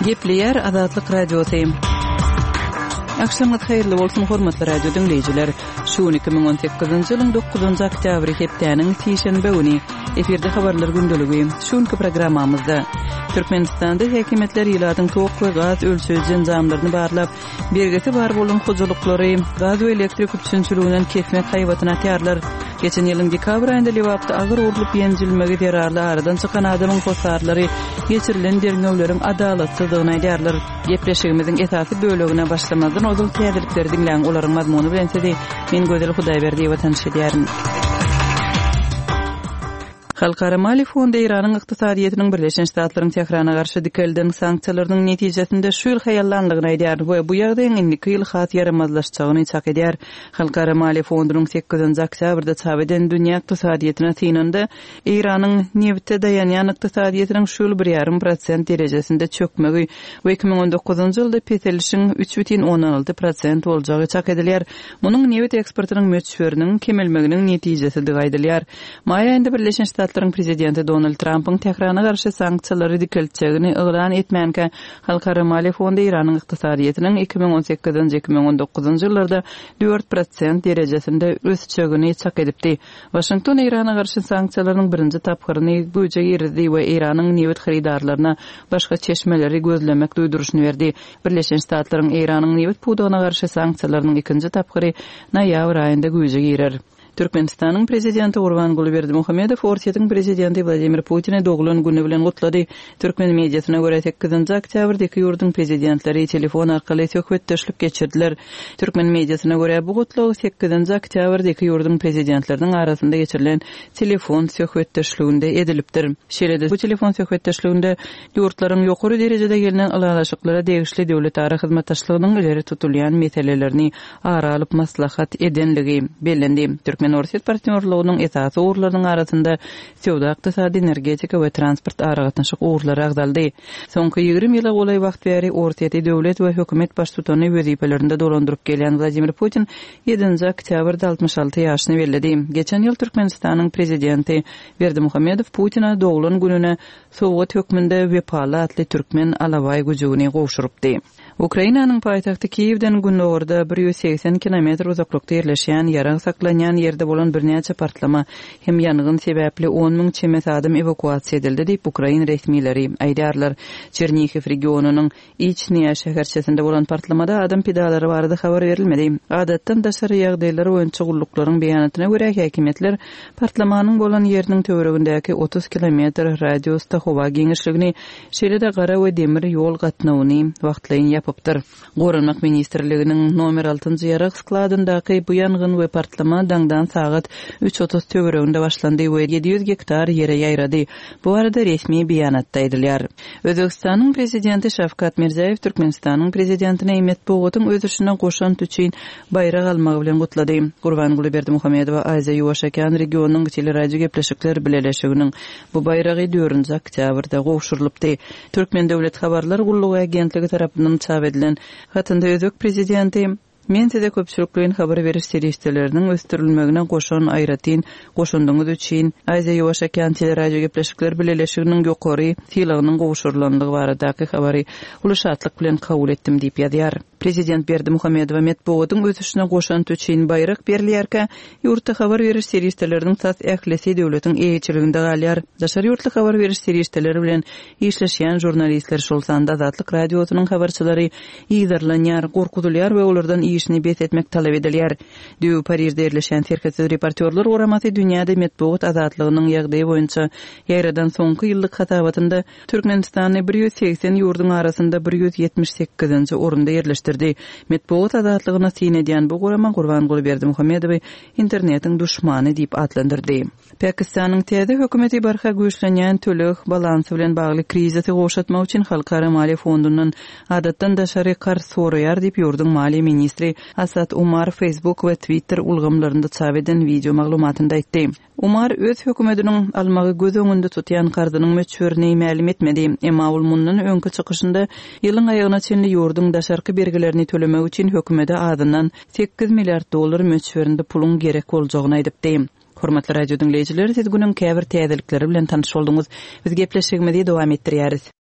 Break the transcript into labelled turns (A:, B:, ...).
A: Gepleýär Azatlyk Radiosy. Agşamyňyz haýyrly bolsun, hormatly radio diňleýjiler. Şu gün 2018-nji ýylyň 9-njy oktýabry hepdäniň sişenbe güni. Efirde habarlar gündeligi. Şu günki programmamyzda Türkmenistanda häkimiýetler ilatyň tok we gaz ölçeýji enjamlaryny barlap, Bergisi bar bolan hojalyklary gaz we elektrik üpjünçiliginden kesmek haýbatyny atýarlar. Geçen ýylyň dekabr aýynda Lebapda agyr urlup ýenjilmegi zerarly aradan çykan adamyň hossarlary geçirilen derňewleriň adalatsyzdygyny aýdýarlar. Gepleşigimiziň esasy bölegine başlamazdan ozal täzelikleri diňläň, olaryň mazmuny bilen sizi men Gözel Hudaýberdiýewa tanyş edýärin. Halkara maliýe fondy Eýranyň ykdysadyýetiniň Birleşen Ştatlaryň Tährana garşy dikelden sanksiýalarynyň netijesinde şu ýyl haýallandygyny aýdýar we bu ýagdaýyň indiki ýyl has ýaramazlaşjagyny çak edýär. Halkara maliýe fondunyň sekizinji oktýabrda çap eden dünýä ykdysadyýetine synynda Eýranyň nebite daýanýan ykdysadyýetiniň şu ýyl bir ýarym prosent derejesinde çökmegi we 2019-njy ýylda peselişiň 3,6 prosent boljagy çak edilýär. Munuň nebit eksportynyň möçberiniň kemelmeginiň netijesidigi aýdylýar. Maý aýynda Birleşen Ştatlaryň prezidenti Donald Trampyň Tährana garşy sanksiýalary dikeltjegini yglan etmänkä, Halkara maliýe fondy Eýranyň ykdysadyýetiniň 2018-nji, 2019-njy ýyllarda 4% derejesinde ösjegini çak edipdi. Waşington Eýrana garşy sanksiýalarynyň birinji tapgyryny güýje girizdi we Eýranyň nebit hyrydarlaryna başga çeşmeleri gözlemek duýduryşyny berdi. Birleşen Ştatlaryň Eýranyň nebit pudagyna garşy sanksiýalarynyň ikinji tapgyry noýabr aýynda güýje girer. Türkmenistanyň Prezidenti Gurbanguly Berdimuhamedow Orsýetiň Prezidenti Wladimir Putini doglan güni bilen gutlady. Türkmen mediasyna görä, sekizinji oktýabrda iki ýurduň Prezidentleri telefon arkaly söhbetdeşlik geçirdiler. Türkmen mediasyna görä, bu gutlag sekizinji oktýabrda iki ýurduň Prezidentleriniň arasynda geçirilen telefon söhbetdeşliginde edilipdir. Şeýle-de bu telefon söhbetdeşliginde Ýurtlaryň ýokary derejede gelnen ylalaşyklara degişli döwletara hyzmatdaşlygynyň ileri tutulýan meselelerini ara alyp maslahat edenligi bellendi. Türkmen-orsýet partnýorlygynyň esasy ugurlarynyň arasynda söwda-ykdysady, energetika we transport aragatnaşyk ugurlary agzaldy. Soňky 20 ýyla golaý wagt bäri Orsýeti döwlet we hökümet baştutany wezipelerinde dolandyryp gelýän Wladimir Putin ýedinji oktýabrda 66 ýaşyny belledi. Geçen ýyl Türkmenistanyň Prezidenti Berdimuhamedow Putine doglan gününe sowgat hökmünde Wepaly atly türkmen alabaý güjügini gowşurypdy. Ukrainanyň paýtagty Kiýewden gündogarda 180 kilometr uzaklykda ýerleşýän ýarag saklanýan ýerde bolan birnäçe partlama hem ýangyn sebäpli on müň çemesi adam ewakuasiýa edildi diýip, ukrain resmileri aýdýarlar. Çernihiw regionynyň Içnýa şäherçesinde bolan partlamada adam pidalary barada habar berilmedi. Adatdan daşary ýagdaýlar boýunça gulluklaryň beýanatyna görä, häkimiýetler partlamanyň bolan ýeriniň töweregindäki 30 kilometr radiusda howa giňişligini, şeýle-de gara we demir ýol gatnawyny wagtlaýyn ýapypdyr. Goranmak ministrliginiň nomer altynjy ýarag skladyndaky bu ýangyn we partlama daňdan sagat 3:30 töwereginde başlandy we 700 gektar ýere ýaýrady. Bu barada resmi beýanatda aýdylýar. Özbegistanyň Prezidenti Şawkat Mirziýoýew Türkmenistanyň Prezidentini metbugatyň ösüşine goşant üçin baýrak almagy bilen gutlady. Gurbanguly Berdimuhamedowa Aziýa-Ýuwaş okean regionynyň teleradiogepleşikler bileleşiginiň bu baýragy dördünji oktýabrda gowşurylypdy. Türkmen döwlet habarlar gullugy agentligi tarapyndan çap edilen hatynda özbek Prezidenti, Men size köpçülikleýin habar beriş serişdeleriniň ösdürilmegine goşan aýratyn goşandyňyz üçin Aziýa-Ýuwaş okean teleradiogepleşikler bileleşiginiň ýokary sylagynyň gowşurylandygy baradaky habary uly şatlyk bilen kabul etdim diýip ýazýar. Prezident Berdimuhamedowa metbugatyň ösüşine goşant üçin baýrak berilýärkä, ýurtda habar beriş serişdeleriniň tas ählisi döwletiň eýeçiliginde galýar. Daşary ýurtly habar beriş serişdeleri bilen işleşýän žurnalistler, şol sanda Azatlyk Radiosynyň habarçylary yzarlanýar, gorkuzylýar we olardan işini bes etmek talap edilýär. Düýbi Parižde ýerleşýän Serhetsiz reportýorlar guramasy dünýäde metbugat azatlygynyň ýagdaýy boýunça ýaýradan soňky ýyllyk hasabatynda Türkmenistany 180 ýurduň arasynda 178-nji orunda ýerleşdirdi. Metbugat azatlygyna syn edýän bu gurama Gurbanguly Berdimuhamedowy internetiň duşmany diýip atlandyrdy. Pakistanyň täze hökümeti barha güýçlenýän töleg balansy bilen bagly krizisi gowşatmak üçin Halkara maliýe fondundan adatdan daşary karz soraýar diýip, ýurduň maliýe ministri Asad Umar Facebook we Twitter ulgamlarynda çap eden wideo maglumatynda aýtdy. Umar öz hökümetiniň almagy göz öňünde tutýan karzynyň möçberini mälim etmedi. Emma ol mundan öňki çykyşynda ýylyň aýagyna çenli ýurduň daşarky bergilerini tölemek üçin hökümete azyndan 8 milliard dollar möçberinde puluň gerek boljagyny aýdypdy. Hormatly radio diňleýjiler, siz günüň käbir täzelikleri bilen tanyş bolduňyz. Biz gepleşigimizi dowam etdirýäris.